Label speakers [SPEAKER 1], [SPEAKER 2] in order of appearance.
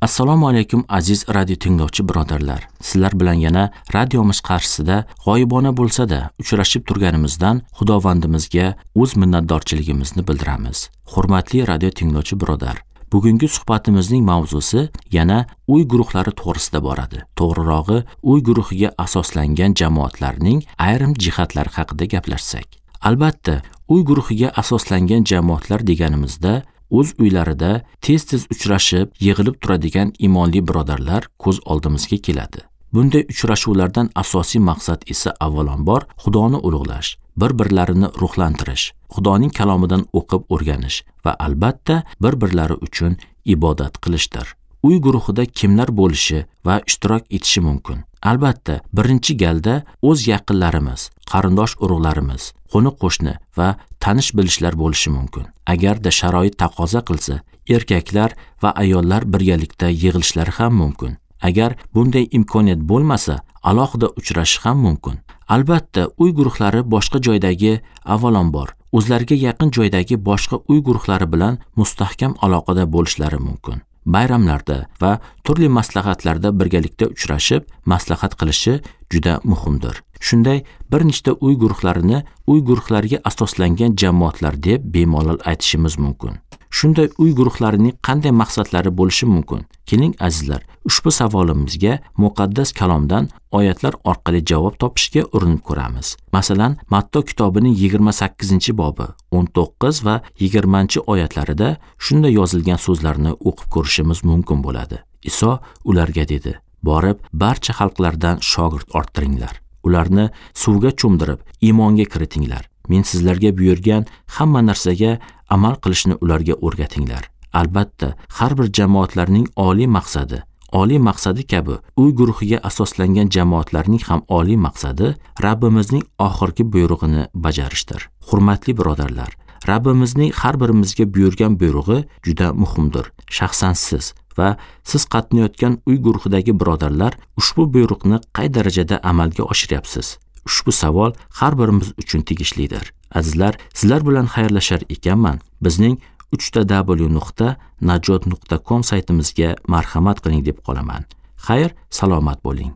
[SPEAKER 1] Assalomu alaykum aziz radio tinglovchi birodarlar. Sizlar bilan yana radiomiz qarshisida g'oyibona bo'lsa-da uchrashib turganimizdan Xudovandimizga o'z minnatdorchiligimizni bildiramiz. Hurmatli radio tinglovchi birodar, bugungi suhbatimizning mavzusi yana uy guruhlari to'g'risida boradi. To'g'rirog'i, uy guruhiga asoslangan jamoatlarning ayrim jihatlari haqida gaplashsak. Albatta, uy guruhiga asoslangan jamoatlar deganimizda o'z uylarida tez-tez uchrashib, yig'ilib turadigan imonli birodarlar ko'z oldimizga keladi. Bunday uchrashuvlardan asosiy maqsad esa avvalambor Xudoni ulug'lash, bir-birlarini ruhlantirish, Xudoning kalomidan o'qib o'rganish va albatta bir-birlari uchun ibodat qilishdir. Uy guruhida kimlar bo'lishi va ishtirok etishi mumkin? Albatta, birinchi galda o'z yaqinlarimiz, qarindosh urug'larimiz, qo'ni-qo'shni va tanish bilishlar bo'lishi mumkin. Agarda sharoit taqozo qilsa, erkaklar va ayollar birgalikda yig'ilishlari ham mumkin. Agar bunday imkoniyat bo'lmasa, alohida uchrashish ham mumkin. Albatta, uy guruhlari boshqa joydagi avvalambor o'zlariga yaqin joydagi boshqa uy guruhlari bilan mustahkam aloqada bo'lishlari mumkin. Bayramlarda va turli maslahatlarda birgalikda uchrashib, maslahat qilishi juda muhimdir. Shunday bir nechta uy guruhlarini uy guruhlariga asoslangan jamoatlar deb bemalol aytishimiz mumkin. Shunday uy guruhlarining qanday maqsadlari bo'lishi mumkin? Keling azizlar, ushbu savolimizga muqaddas kalomdan oyatlar orqali javob topishga urinib ko'ramiz. Masalan, Matto kitobining 28-bobi 19 va 20-oyatlarida shunday yozilgan so'zlarni o'qib ko'rishimiz mumkin bo'ladi. Iso ularga dedi: "Borib barcha xalqlardan shogird orttiringlar. Ularni suvga cho'mdirib, iymonga kiritinglar. Men sizlarga buyurgan hamma narsaga amal qilishni ularga o'rgatinglar." Albatta, har bir jamoatlarning oliy maqsadi kabi uy guruhiga asoslangan jamoatlarning ham oliy maqsadi Rabbimizning oxirgi buyrug'ini bajarishdir. Hurmatli birodarlar, Rabbimizning har birimizga buyurgan buyrug'i juda muhimdir. Shaxsan siz va siz qatnayotgan uy guruhidagi birodarlar ushbu buyruqni qay darajada amalga oshiryapsiz? Ushbu savol har birimiz uchun tegishlidir. Azizlar, sizlar bilan xayrlashar ekanman, bizning www.najot.com saytimizga marhamat qiling deb qolaman. Xayr, salomat bo'ling.